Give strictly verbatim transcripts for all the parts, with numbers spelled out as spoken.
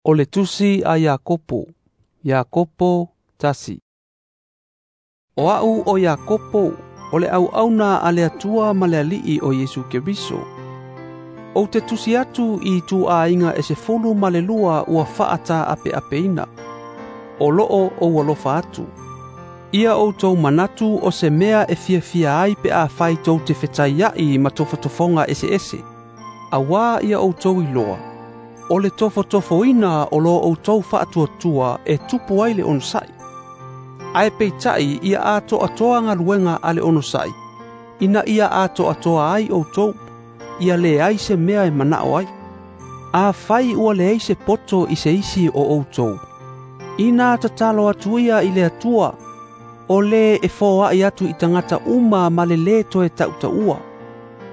O le tusi a Iakopo, Iakopo tasi. O au o Iakopo, o le auauna a le Atua ma le Alii o Iesu Keriso. Ou te tusi atu i ituaiga e sefulu ma le lua ua faata apeapeina. O loo o ua atu. Ia outou manatu o se mea e fiafia ai pe afai tou te fetaiai ma tofotofoga eseese. Auā ia outou iloa. O le tofotofoina o lo outou faatuatua e tupu ai le onosai. Ae peitai ia atoatoa galuega a le onosai, ina ia atoatoa ai outou, ia leai se mea e manao ai. Afai ua leai se poto i se isi o outou, ina tatalo atu ia i le Atua, o le e foai atu i tagata uma ma le lē toe tautaua,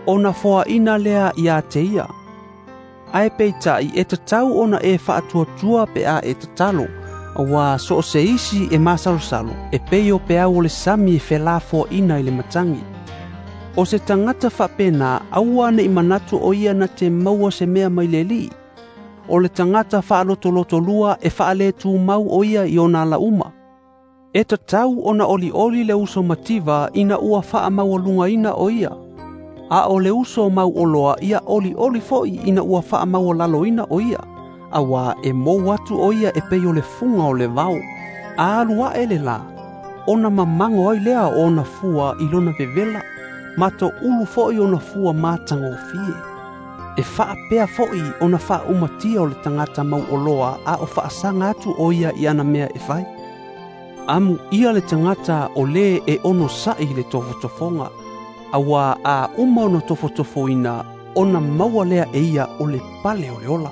ona foaina lea ia te ia. Ae peitai e tatau ona e faatuatua pe a e tatalo, auā so o se isi e masalosalo, e pei o peau o le sami e felafoaina i le matagi. O se tagata faapena aua nei manatu o ia na te maua se mea mai le Alii. O le tagata faalotolotolua e faaletumau o ia i ona alauma. E tatau ona olioli le uso mativa ina ua faamaualugaina o ia. A o le uso mauoloa ia olioli foi ina ua faamaualaloina o ia. Auā e mou atu o ia e pei o le fuga o le vao. A alu ae le lā, ona mamago ai lea o ona fua i lona vevela, ma toulu foi ona fua matagofie. E faapea foi ona faaumatia o le tagata mauoloa a o faasaga atu o ia i ana mea e fai. Amu ia le tagata o lē e onosai i le tofotofoga, auā a uma ona tofotofoina, ona maua lea e ia o le pale o le ola.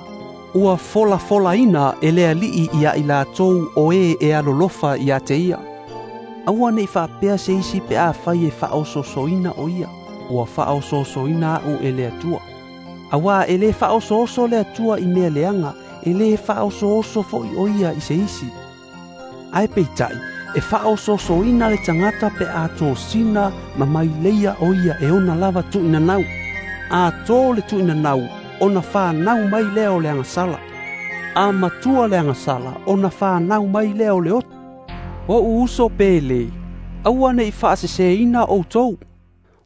Ua folafolaina e le Alii ia i latou o e e alolofa ia te ia. Aua nei faapea se isi pe afai e faaosoosoina o ia, ua faaosoosoina au e le Atua. Auā e lē faaosooso le Atua i mea leaga, e lē faaosooso foi o ia i se isi. Ae peitai, e faaosoosoina le tagata pe a tosina ma maileia o ia e ona lava tuuinanau. A to le tuuinanau, ona whanau mai lea o le agasala. A matua le agasala, ona whanau mai lea o le oto. O uso pele, aua nei faaseseina outou.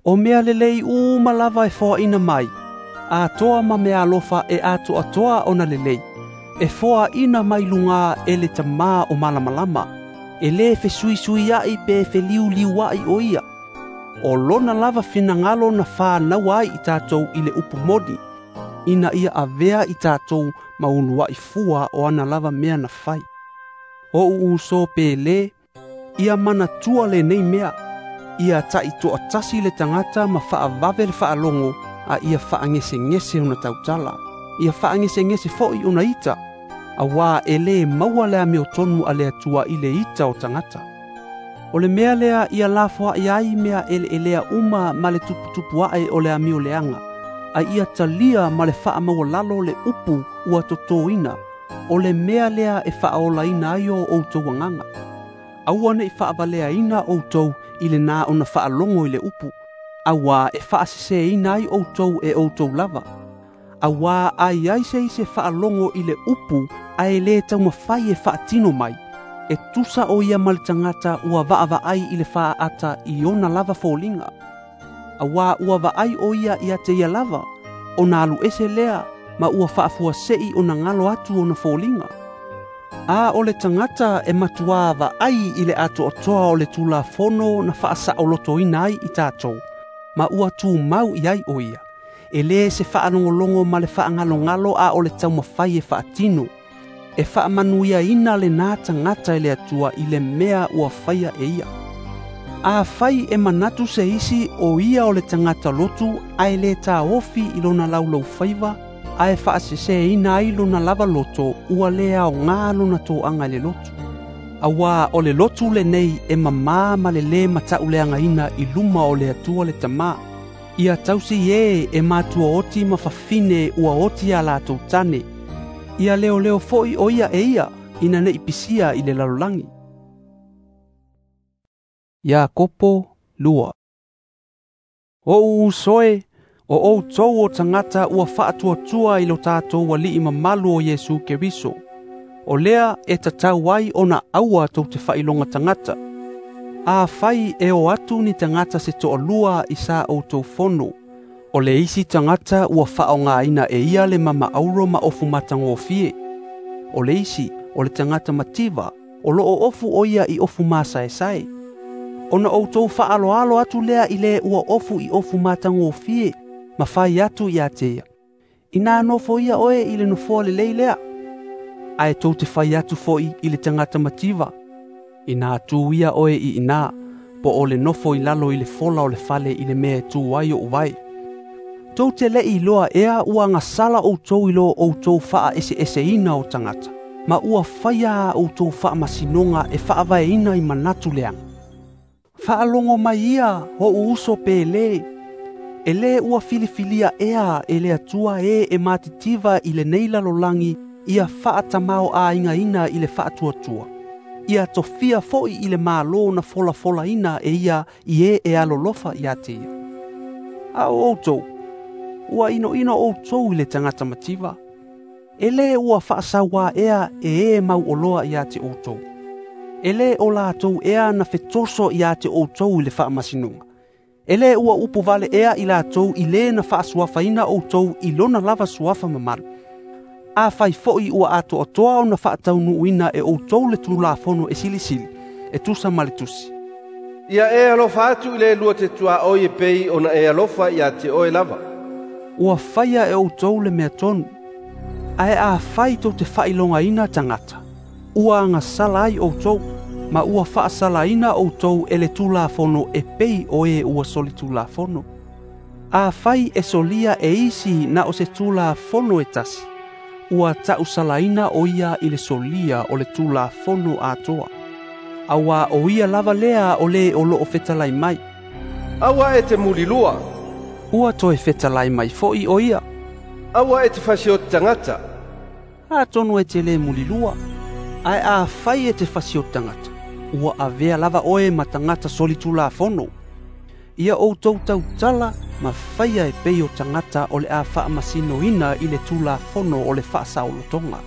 O mea lelei uma lava e foaina mai. Atoa ma mea alofa e atoatoa ona lelei. E foaina mai luga e le tamā o malamalama. E lē fesuisuiai pe feliuliuai o ia. O lona lava finagalo na whanau ai i tātou i le upu moni, ina ia avea i tātou ma uluai fua o ana lava mea na fai. O uso pele, ia manatua lenei mea, ia taitoatasi le tagata ma faavave le faalogo, a ia faagesegese ona tautala, ia faagesegese foi ona ita, auā e lē maua le amiotonu a le Atua i le ita o tagata. O le mea lea ia lafoai ai mea eleelea uma ma le tuputupu ae o le amio leaga, a ia talia ma le faamaualalo le upu ua totoina, o le mea lea e faaolaina ai o outou agaga. Aua nei faavaleaina outou i lenā ona faalogo i le upu, auā e faaseseina ai outou e outou lava. Auā a i ai se isi e faalogo i le upu ae lē taumafai e faatino mai, e tusa o ia ma le tagata ua vaavaai i le faaata i ona lava foliga. Auā ua vaai o ia ia te ia lava, ona alu ese lea ma ua faafuasei ona galo atu ona foliga. A o le tagata e matuā vaai i le atoatoa o le Tulafono na faasaolotoina ai i tatou, ma ua tumau i ai o ia, e lē se faalogologo ma le faagalogalo a o le taumafai e faatino, e faamanuiaina lenā tagata e le Atua i le mea ua faia e ia. Afai e manatu se isi o ia o le tagata lotu ae lē taofi i lona laulaufaiva, ae faaseseina ai lona lava loto, ua lē aogā lona toaga i le lotu. Auā o le lotu lenei e mamā ma le lē matauleagaina i luma o le Atua le Tamā. Ia tausi e e matua oti ma fafine ua oti a latou tane. Ia leoleo foi o ia e ia ina nei pisia i le lalolagi. Iakopo lua. O uso e, o outou o tagata ua faatuatua i lo tatou Alii mamalu o Iesu Keriso. O lea e tatau ai ona aua tou te faailoga tagata. Afai e o atu ni tagata se toalua i sa outou fono, o le isi tagata ua faaaogaina e ia le mama auro ma ofu matagofie. O le isi, o le tagata mativa, o loo ofu o ia i ofu masaesae. Ona outou faaloalo atu lea i le ua ofu i ofu matagofie, ma fai atu ia te ia, ina nofo ia oe i le nofoa lelei lea. Ae tou te fai atu foi i le tagata mativa, ina tu ia oe i ina, po o le nofo i lalo i le fola o le fale i le mea e tu ai o uvae. Tou te le iloa ea ua gasala outou i lo outou faaeseeseina o tagata, ma ua faia a outou faamasinoga e faavaeina i manatu leaga. Faalogo mai ia o'u uso pele, e lē ua filifilia ea e le Atua e e matitiva i lenei lalolagi ia faatamao-aigaina i le faatuatua, ia tofia foi i le malo na folafolaina e ia i e e alolofa ia te ia. A o outou, ua inoino outou i le tagata mativa. E lē ua faasauā ea e e mauoloa ia te outou. E lē o latou ea na fetoso ia te outou i le faamasinoga. E lē ua upu vale ea i latou i lē na faasuafaina outou i lona lava suafa mamalu. Afai foi ua atoatoa ona faataunuuina e outou le Tulafono e silisili, e tusa ma le tusi. Ia e alofa atu i le lua te tuaoi e pei ona e alofa ia te oe lava. Ua faia e outou le mea tonu. Ae afai tou te faailogaina tagata, ua agasala ai outou, ma ua faasalaina outou e le Tulafono e pei o e ua soli Tulafono. Afai e solia e isi na o se Tulafono e tasi, ua tausalaina o ia i le solia o le Tulafono atoa. Auā o ia lava lea o le o loo fetalai mai. Aua e te mulilua. Ua toe fetalai mai foi o ia. Aua e te fasioti tagata. Atonu e te lē mulilua. Ae afai e te fasioti tagata, ua avea lava oe ma tagata soli Tulafono. Ia outou tautala ma faia e pei o tagata o le a faamasinoina i le Tulafono o le faasaolotoga.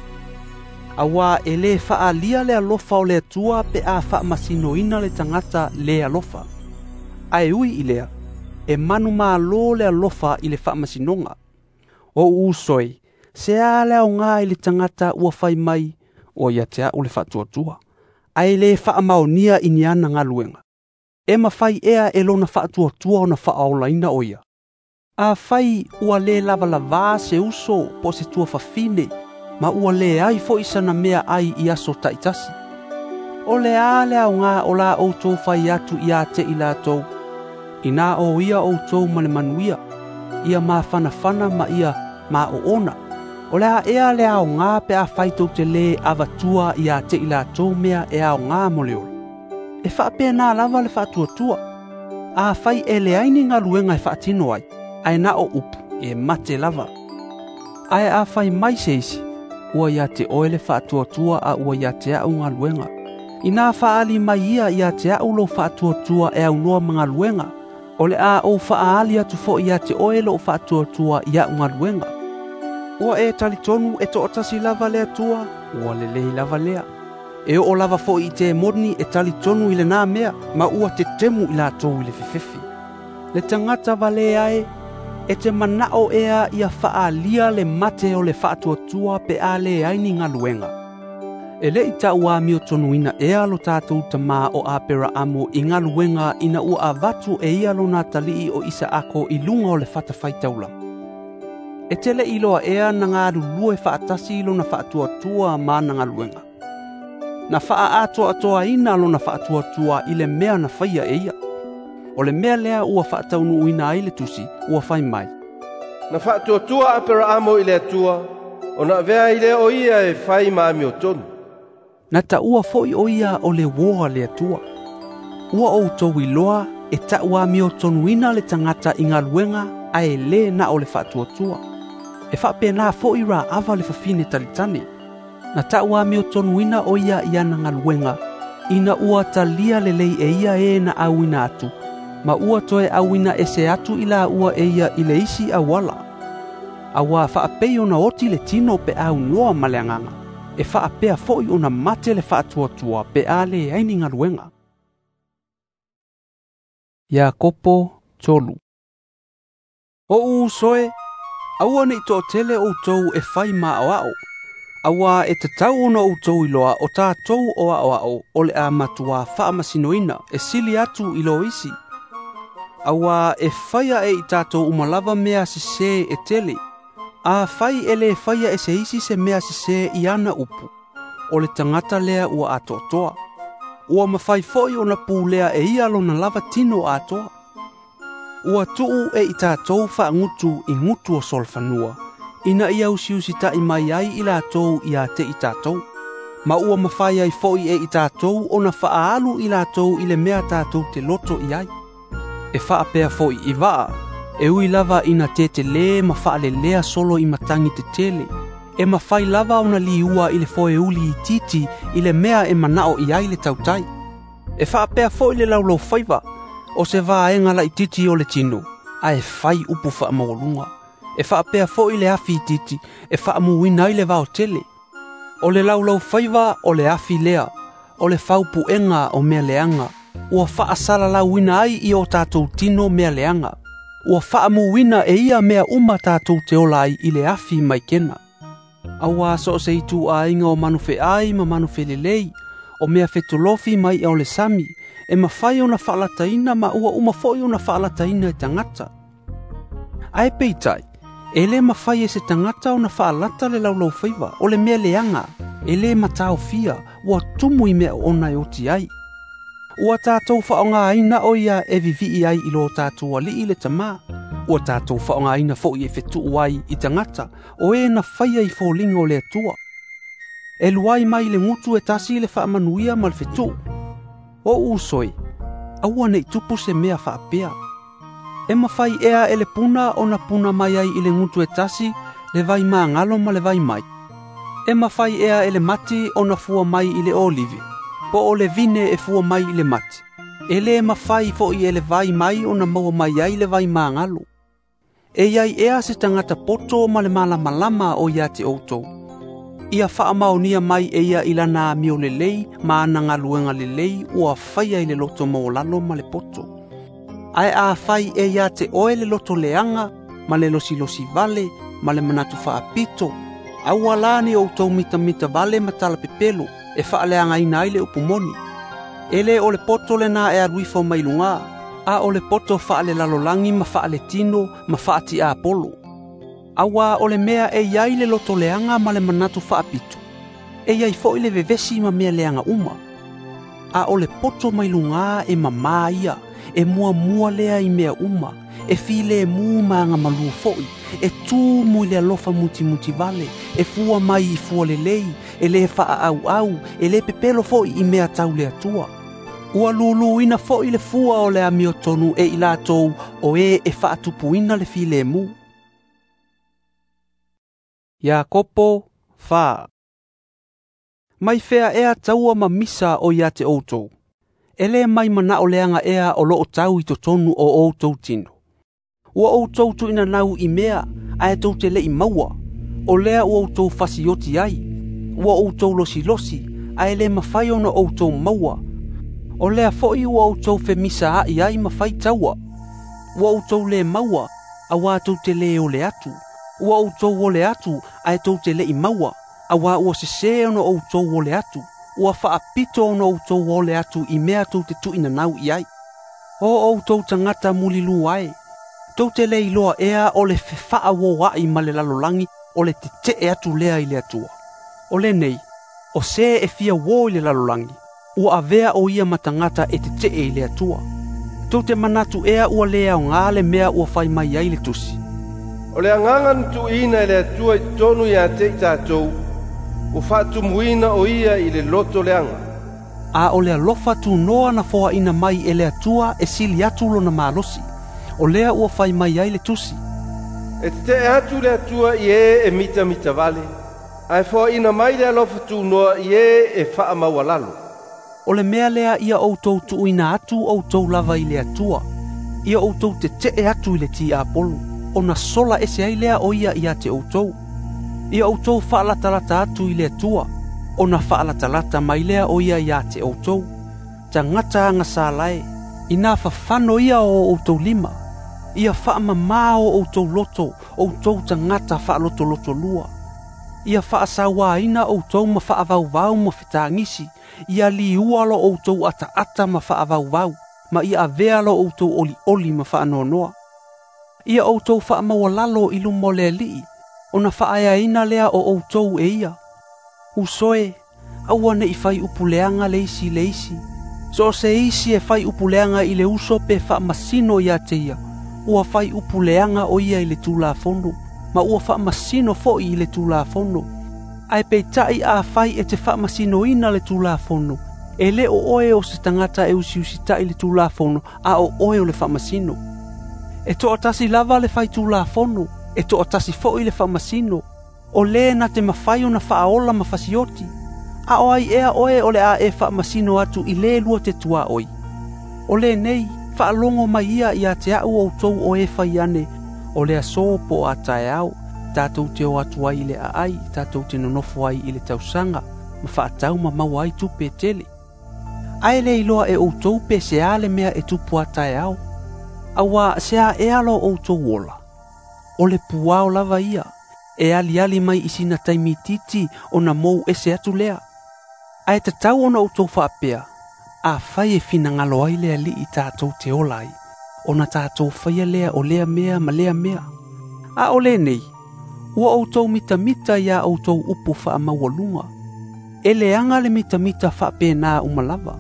Auā e lē faaalia le alofa o le Atua pe a faamasinoina le tagata lē alofa. Ae ui i lea, e manumalo le alofa i le faamasinoga. O uso e, se a le aoga i le tagata ua fai mai, ua ia te a'u le faatuatua, ae lē faamaonia i ni ana galuega. E mafai ea e lona faatuatua ona faaolaina o ia. Afai ua lē lavalavā se uso po o se tuafafine, ma ua leai foi sana mea ai i aso taitasi. O le a le aoga o la outou fai atu ia te i latou, ina o ia outou ma le manuia, ia mafanafana ma ia maoona. O le a ea le aoga pe afai tou te lē avatua ia te i latou mea e aoga mo le ola. E faapena lava le faatuatua. Afai e leai ni galuega e faatino ai, ae na o upu e mate lava. Ae afai mai se isi, ua ia te oe le faatuatua a ua ia te a'u galuega. Ina faaali mai ia ia te a'u lou faatuatua e aunoa ma galuega, o le a ou faaali atu foi ia te oe lou faatuatua i a'u galuega. Ua e talitonu e toatasi lava le Atua, ua lelei lava lea. E oo lava foi i te moni e talitonu i lenā mea, ma ua tetemu i latou i le fefefe. Le tagata valea e, e te manao ea ia faalia le mate o le faatuatua pe a leai ni galuega. E lē i taʻuamiotonuina ea lo tatou tamā o Aperaamo i galuega ina ua avatu e ia lona atalii o Isaako i luga o le fatafaitaulaga. E te le iloa ea na galulue faatasi lona faatuatua ma ana galuega. Na faaatoatoaina lona faatuatua i le mea na faia e ia. O le mea lea ua faataunuuina ai le tusi, ua fai mai. Na faatuatua Aperaamo i le Atua, ona avea ai lea o ia e fai ma amiotonu. Na taua foi o ia o le uō a le Atua. Ua outou iloa e taʻuamiotonuina le tagata i galuega ae lē na o le faatuatua. E faapena foi Raava le fafine talitane. Na taʻuamiotonuina o ia i ana galuega, ina ua talia lelei e ia e na auina atu, ma ua toe auina ese atu i laua e ia i le isi auala. Auā faapei ona oti le tino pe aunoa ma le agaga. E faapea fo'i ona mate le faatuatua pe a leai ni galuega. Iakopo tolu. O'u uso e, aua ne'i to'atele outou e fai ma'aoa'o, auā e tatau ona outou iloa o tatou o a'oa'o o le a matuā faamasinoina e sili atu i lo isi. Auā e faia e i tatou uma lava mea sesē e tele. Afai e lē faia e se isi se mea sesē i ana upu, o le tagata lea ua atoatoa. Ua mafai fo'i ona pulea e ia lona lava tino atoa. Ua tu'u e i tatou faagutu i gutu o solofanua, ina ia usiusita'i mai ai i latou ia te i tatou. Ma ua mafai ai fo'i e i tatou ona faaalu i latou i le mea tatou te loto i ai. E faapea fo'i i va'a, e ui lava ina tetelē ma faalelea solo i matagi tetele, e mafai lava ona liua i le foeuli itiiti i le mea e mana'o i ai le tautai. E faapea fo'i le laulaufaiva, o se vaega laitiiti o le tino, ae fai upu faamaualuga. E faapea fo'i le afi itiiti e faamuina ai le vaotele. O le laulaufaiva o le afi lea, o le faupuega o mea leaga, ua faasalalauina ai i o tatou tino mea leaga. Ua faamuina e ia mea uma tatou te ola ai i le afi maikena. Auā so o se ituaiga o manufe'ai ma manufelelei, o mea fetolofi mai i'a o le sami, e mafai ona faalataina ma ua uma fo'i ona faalataina e tagata. Ae peitai, e lē mafai e se tagata ona faalata le laulaufaiva, o le mea leaga, e lē mataofia, ua tumu i mea oona e oti ai. Ua tatou faaaogāina o ia e vivi'i ai i lo tatou ali'i le tamā. Ua tatou faaaogāina fo'i e fetu'u ai i tagata, o e na faia i foliga o le Atua. E luai mai le gutu e tasi le faamanuia ma le fetu'u. O'u uso e, aua ne'i tupu se mea faapea. E mafai ea e le puna ona puna mai ai i le gutu e tasi le vai magalo ma le vai mai. E mafai ea e le mati ona fua mai i le olive, po o le vine e fua mai i le mati. E lē mafai fo'i e le vai mai ona maua mai ai le vai magalo. E iai ea se tagata poto ma le malamalama o ia te outou. Ia faamaonia mai e ia i lana amio lelei ma ana galuega lelei ua faia i le loto maualalo ma le poto. Ae afai e ia te oe le loto leaga ma le losilosi vale ma le manatu faapito, aua la ne outou mitamita vale ma talapepelo e faaleagaina ai le upu moni. E lē o le poto lenā e alu ifo mai lugā, a o le poto faalelalolagi ma faaletino ma faatiapolo. Auā o le mea e iai le loto leaga ma le manatu faapito, e iai fo'i le vevesi ma mea leaga uma. A o le poto mai lugā e mamā ia, e muamua lea i mea uma, e filemu ma agamalū fo'i, e tumu i le alofa mutimuti vale, e fua mai i fua lelei, e lē faaauau, e lē pepelo fo'i i mea tau le Atua. Ua luluina fo'i le fua o le amiotonu e i latou o e e faatupuina le filemu. Iakopo fa. Mai fea ea taua ma misa o ia te outou. E lē mai mana'o leaga ea o lo'o tau i totonu o outou tino. Ua outou tu'inanau i mea, ae tou te le'i maua. O lea ua outou fasioti ai. Ua outou losilosi, ae lē mafai ona outou maua. O lea fo'i ua outou femisaa'i ai ma fai taua. Ua outou lē maua, auā tou te lē ole atu. Ua outou ole atu, ae tou te le'i maua, auā ua sesē ona outou ole atu. Ua faapito ona outou ole atu i mea tou te tu'inanau i ai. O outou tagata mulilū ae, tou te lē iloa ea o le fefaaoa'i ma le lalolagi o le tete'e atu lea i le Atua. O lenei, o sē e fia uō i le lalolagi, ua avea o ia ma tagata e tete'e i le Atua. Tou te manatu ea ua lē aogā le mea ua fai mai ai le tusi. O le agaga na tuuina e le Atua i totonu ia te i tatou, ua faatumuina o ia i le loto leaga. A o le alofa tunoa na foaina mai e le Atua e sili atu lona malosi. O lea ua fai mai ai le tusi. E tete'e atu le Atua i e e mitamita vale, ae foaina mai le alofa tunoa i e e faamaualalo. O le mea lea ia outou tuuina atu outou lava i le Atua, ia outou tete'e atu i le tiapolo, ona sola ese ai lea o ia ia te outou. Ia outou faalatalata atu i le Atua, Ona faalatalata mai lea o ia ia te outou. Tagata agasala e, ina fafano ia o outou lima. Ia faamamā o outou loto, outou tagata faalotolotolua. Ia faasauaina outou ma faavauvau ma fetagisi. Ia liua lo outou ataata ma faavauvau, ma ia avea lo outou olioli ma faanoanoa. Ia outou faamaualalo i luma o le Alii, ona faaeaina lea o outou e ia. Uso e, aua ne i fai upuleaga le isi i le isi. So o se isi e fai upuleaga i le uso pe faamasino ia te ia, ua fai upuleaga o ia i le Tulafono, ma ua faamasino foi i le Tulafono. Ae peitai afai e te faamasinoina le Tulafono, e le o oe o se tagata e usiusita'i le Tulafono, a o oe o le faamasino. E toatasi lava le fai Tulafono, e toatasi foi le faamasino. O le na te mafai ona faaola ma fasioti. A o ai ea oe o le a e faamasino atu i le lua te tuaoi. O lenei, faalogo mai ia ia te au outou o e fai ane, o le aso po o a taeao, tatou te o atu ai i le aai, tatou te nonofo ai i le tausaga, ma faatau ma maua ai tupe tele. Ae le iloa e outou pe se a le mea e tupu a taeao. Auā se a ea lo outou ola. O le puao lava ia, e aliali mai i sina taimi itiiti ona mou ese atu lea. Ae tatau ona outou faapea, afai e finagalo ai le Alii tatou te ola ai, ona tatou faia lea o lea mea ma lea mea. A o lenei, ua outou mitamita ia outou upu faamaualuga. E leaga le mitamita faapena uma lava.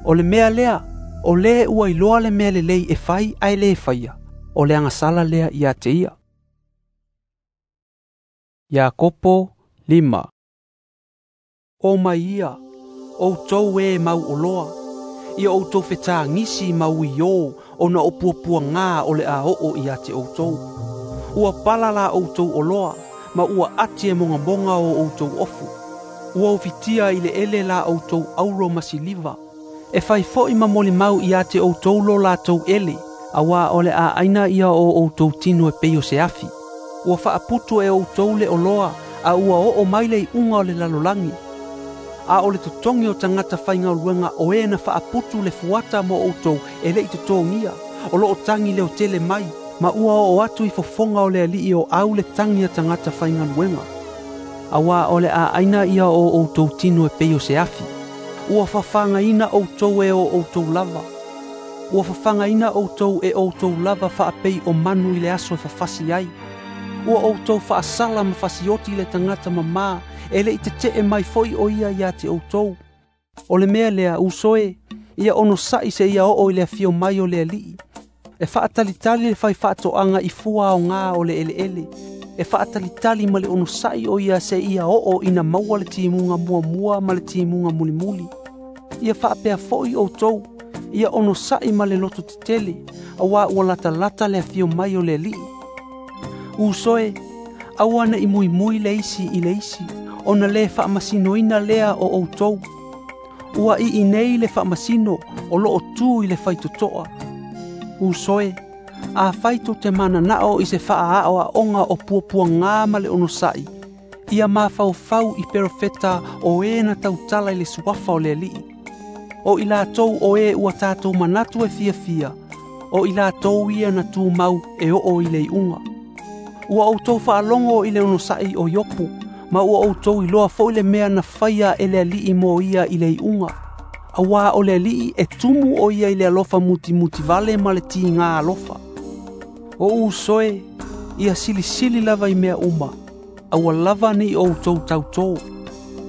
O le mea lea, o le ua iloa le mea lelei e fai ae le faia, o le agasala lea ia te ia. Iakopo lima. O mai ia, outou e mau oloa, ia outou fetagisi ma uiō ona o puapuagā o le a oo ia te outou. Ua pala la outou oloa, ma ua ati e mogamoga o outou ofu. Ua ofitia i le ele la outou auro ma siliva. E fai foi ma molimau ia te outou lo latou ele, auā o le a aina ia o outou tino e pei o se afi. Ua faaputu e outou le oloa, a ua oo mai le iuga o le lalolagi. A o le totogi o tagata faigaluega o e na faaputu le fuata mo outou e le'i totogia, o loo tagi leotele mai, ma ua oo atu i fofoga o le Alii o au le tagi a tagata faigaluega. Auā o le a aina ia o outou tino e pei o se afi. Ua fafagaina outou e o outou lava. Ua fafagaina outou e outou lava faapei o manu i le aso e fafasi ai. Ua outou faasala ma fasioti le tagata mamā, e le'i tetee mai foi o ia ia te outou. O le mea lea, uso e, ia onosa'i seia oo i le afio mai o le Alii. E faatalitali le fai faatoaga i fua aogā o le eleele. E faatalitali ma le onosa'i o ia seia oo ina maua le timuga muamua ma le timuga mulimuli. Ia faapea foi outou, ia onosa'i ma le loto tetele, auā ua latalata le afio mai o le Alii. Uso e, aua ne i muimui le isi i le isi, ona le faamasinoina lea o outou. Ua iinei le faamasino o loo tu i le faitotoa. Uso e, afai tou te mananao i se faaaoaoga o puapuagā ma le onosa'i, ia mafaufau i perofeta o e na tautala i le suafa o le Alii. O i latou o e ua tatou manatu e fiafia, o i latou ia na tumau e oo i le iuga. Ua outou faalogo i le onosa'i o Iopu, ma ua outou iloa foi le mea na faia e le Alii mo ia i le iuga. Auā o le Alii e tumu o ia i le alofa mutimutivale ma le tigā alofa. O uso e, ia silisili lava i mea uma, aua lava ne i outou tautō.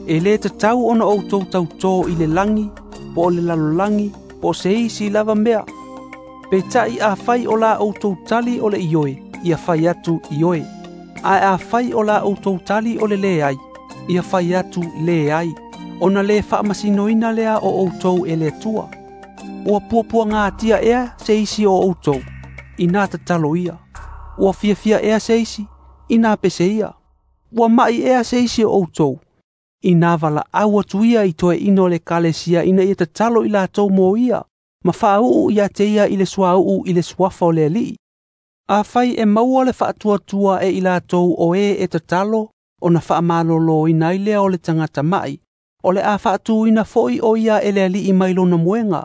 E lē tatau ona outou tautō i le lagi, po o le lalolagi, po o se isi lava mea. Peitai afai o la outou tali o le ioe, ia fai atu ioe. Ae afai o la outou tali o le leai, ia fai atu leai. Ona le faamasinoina lea o outou e le Atua. Ua puapuagatia ea se isi o outou, ina tatalo ia. Ua fiafia ea se isi, ina pese ia. Ua ma'i ea se isi o outou, ina valaau atu ia i toeaina o le ekalesia ina ia tatalo i latou mo ia, ma faauu ia te ia i le suauu i le suafa o le Alii. Afai e maua le faatuatua e i latou o e e tatalo, Ona faamaloloina ai lea o le tagata ma'i, o le a faatuina fo'i o ia e le Alii mai lona moega.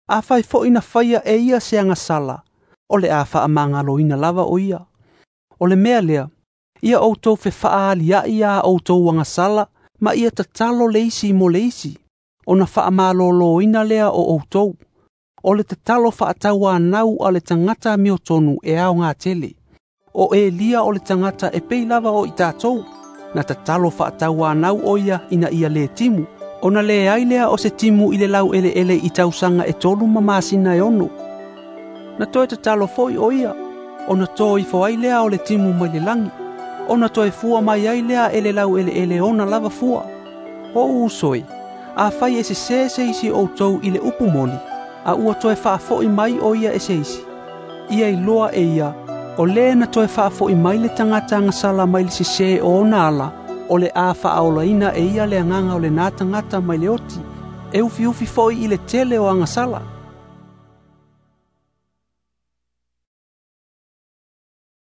Afai fo'i na faia e ia se agasala, o le a faamagaloina lava o ia. O le mea lea, ia outou fefaalia'i a outou agasala ma ia tatalo le isi mo le isi, ona faamaloloina lea o outou. O le tatalo faatauanau a le tagata amiotonu e aoga tele. O Elia o le tagata e pei lava o i tatou, na tatalo faatauanau o ia ina ia le timu, ona leai lea o se timu i le laueleele i tausaga e tolu ma masina e ono. Na toe tatalo foi o ia, ona to ifo ai lea o le timu mai le lagi, ona toe fua mai ai lea e le laueleele ona lava fua. O uso e, afai e sesē se isi o outou i le upu moni, a ua toe faafo'i mai o ia e se isi, ia iloa e ia, o lē na toe faafo'i mai le tagata agasala mai le sesē o ona ala, o le a faaolaina e ia le agaga o lenā tagata mai le oti, e ufiufi fo'i i le tele o agasala.